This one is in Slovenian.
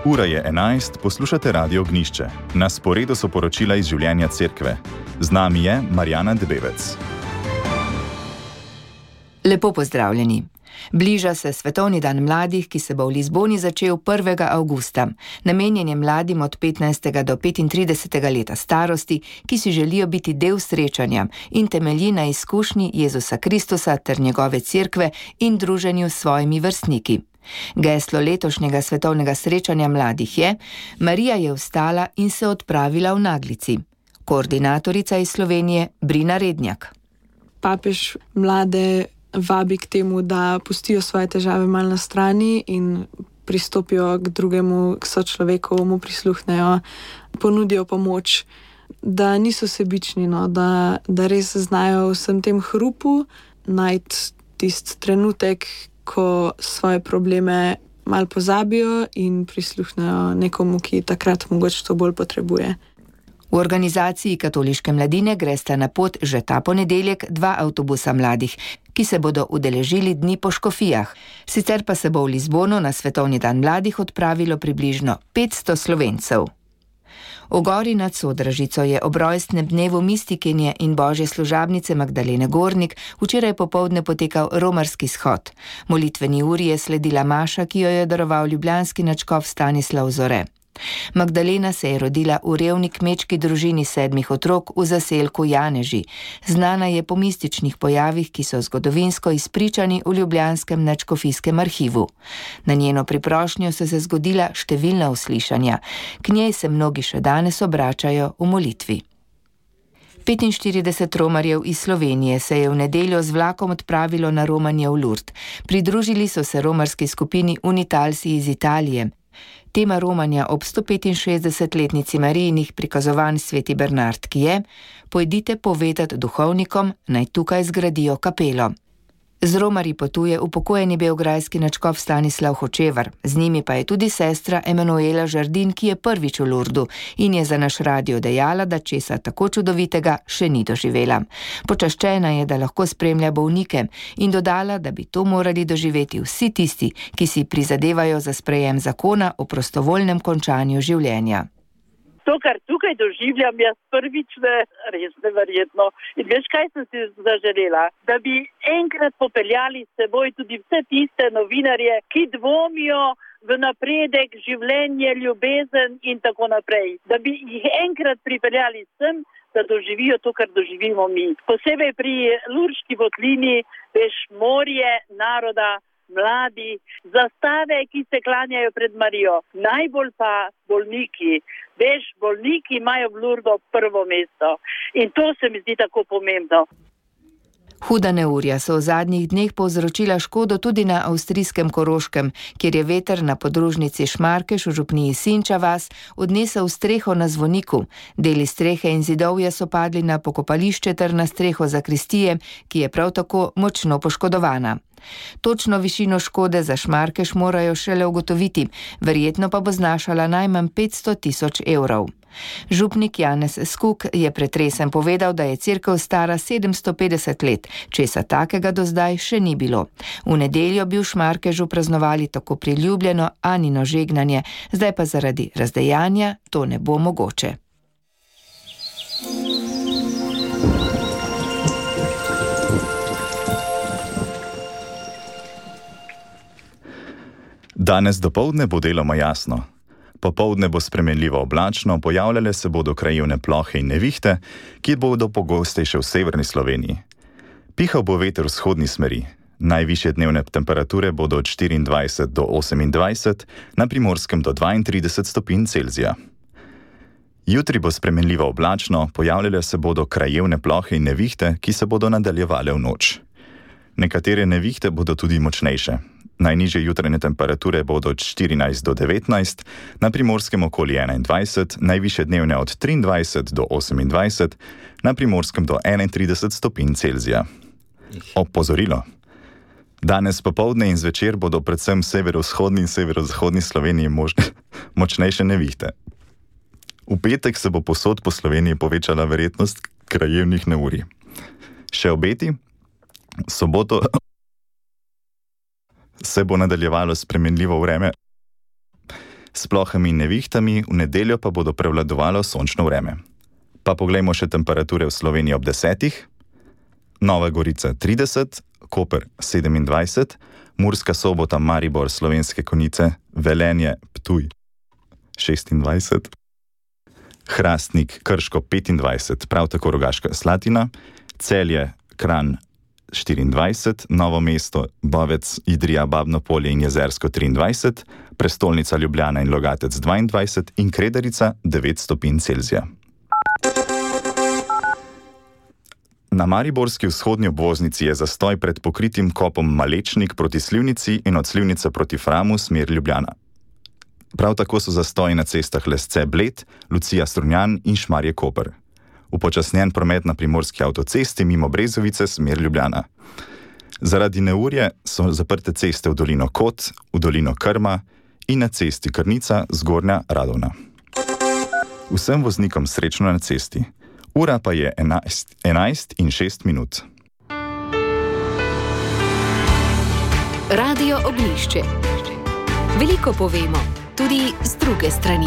Ura je 11, poslušate Radio Ognjišče. Na sporedu so poročila iz življenja cerkve. Z nami je Marjana Debevec. Lepo pozdravljeni. Bliža se Svetovni dan mladih, ki se bo v Lizboni začel 1. avgusta. Namenjen je mladim od 15. do 35. leta starosti, ki si želijo biti del srečanja in temelji na izkušnji Jezusa Kristusa ter njegove cerkve in druženju s svojimi vrstniki. Geslo letošnjega svetovnega srečanja mladih je: Marija je vstala in se odpravila v naglici. Koordinatorica iz Slovenije Brina Rednjak. Papež mlade vabi k temu, da pustijo svoje težave malo na strani in pristopijo k drugemu, k sočloveku, mu prisluhnejo, ponudijo pomoč, da niso sebični, da res znajo vsem tem hrupu najti tisti trenutek, ko svoje probleme malo pozabijo in prisluhnejo nekomu, ki takrat mogoče to bolj potrebuje. V organizaciji Katoliške mladine gresta na pot že ta ponedeljek 2 avtobusa mladih, ki se bodo udeležili dni po škofijah. Sicer pa se bo v Lizbono na Svetovni dan mladih odpravilo približno 500 Slovencev. V gori nad Sodražico je ob rojstnem dnevu mistikinje in božje služabnice Magdalene Gornik včeraj popoldne potekal romarski shod. Molitveni uri je sledila maša, ki jo je daroval ljubljanski nadškof Stanislav Zore. Magdalena se je rodila v revni kmečki družini 7 otrok v zaselku Janeži. Znana je po mističnih pojavih, ki so zgodovinsko izpričani v ljubljanskem nadškofijskem arhivu. Na njeno priprošnjo so se zgodila številna uslišanja. K njej se mnogi še danes obračajo v molitvi. 45 romarjev iz Slovenije se je v nedeljo z vlakom odpravilo na romanje v Lourdes. Pridružili so se romarski skupini Unitalsi iz Italije. Tema romanja ob 165-letnici Marijinih prikazovanj Sveti Bernard, ki je: pojdite povedati duhovnikom, naj tukaj zgradijo kapelo. Z romarji potuje upokojeni beograjski nadškof Stanislav Hočevar, z njimi pa je tudi sestra Emanuela Žardin, ki je prvič v Lourdu in je za naš radio dejala, da česa tako čudovitega še ni doživela. Počaščena je, da lahko spremlja bolnike, in dodala, da bi to morali doživeti vsi tisti, ki si prizadevajo za sprejem zakona o prostovoljnem končanju življenja. To, kar tukaj doživljam, jaz prvič res neverjetno. In veš, kaj sem si zaželela? Da bi enkrat popeljali s seboj tudi vse tiste novinarje, ki dvomijo v napredek, življenje, ljubezen in tako naprej. Da bi jih enkrat pripeljali sem, da doživijo to, kar doživimo mi. Posebej pri Lurški votlini, veš, morje naroda, mladi, zastave, ki se klanjajo pred Marijo. Najbolj pa bolniki. Veš, bolniki imajo v Lourdu prvo mesto. In to se mi zdi tako pomembno. Huda neurja so v zadnjih dneh povzročila škodo tudi na avstrijskem Koroškem, kjer je veter na podružnici Šmarkeš v župniji Sinča vas odnesel streho na zvoniku. Deli strehe in zidovja so padli na pokopališče ter na streho zakristije, ki je prav tako močno poškodovana. Točno višino škode za Šmarkeš morajo šele ugotoviti, verjetno pa bo znašala najmanj 500 000 evrov. Župnik Janez Skuk je pretresen povedal, da je cerkev stara 750 let, česa takega do zdaj še ni bilo. V nedeljo bi v Šmarkežu praznovali tako priljubljeno Anino žegnanje, zdaj pa zaradi razdejanja to ne bo mogoče. Danes dopoldne bo deloma jasno. Popoldne bo spremenljivo oblačno, pojavljale se bodo krajevne plohe in nevihte, ki bodo pogostejše v severni Sloveniji. Pihal bo veter v vzhodni smeri. Najvišje dnevne temperature bodo od 24 do 28, na Primorskem do 32 stopinj Celzija. Jutri bo spremenljivo oblačno, pojavljale se bodo krajevne plohe in nevihte, ki se bodo nadaljevale v noč. Nekatere nevihte bodo tudi močnejše. Najnižje jutranje temperature bodo od 14 do 19, na Primorskem okoli 21, najvišje dnevne od 23 do 28, na Primorskem do 31 stopinj Celzija. Opozorilo. Danes popoldne in zvečer bodo predvsem severovzhodni in severozahodni Sloveniji močnejše nevihte. V petek se bo povsod po Sloveniji povečala verjetnost krajevnih neurij. Še obeti? Soboto se bo nadaljevalo spremenljivo vreme S plohami in nevihtami, v nedeljo pa bodo prevladovalo sončno vreme. Pa poglejmo še temperature v Sloveniji ob 10. Nova Gorica 30, Koper 27, Murska Sobota, Maribor, Slovenske Konjice, Velenje, Ptuj 26, Hrastnik, Krško 25, prav tako Rogaška Slatina, Celje, Kranj 24, Novo mesto, Bovec, Idrija, Babno Polje in Jezersko 23, prestolnica Ljubljana in Logatec 22 in Kredarica 9 stopinj Celzija. Na mariborski vzhodni obvoznici je zastoj pred pokritim kopom Malečnik proti Slivnici in od Slivnice proti Framu smer Ljubljana. Prav tako so zastoji na cestah Lesce Bled, Lucija Strunjan in Šmarje Koper. Upočasnjen promet na primorski avtocesti mimo Brezovice smer Ljubljana. Zaradi neurja so zaprte ceste v dolino Kot, v dolino Krma in na cesti Krnica Zgornja Radovna. Vsem voznikom srečno na cesti. Ura pa je 11:06. Radio Oglišče. Veliko povemo, tudi z druge strani.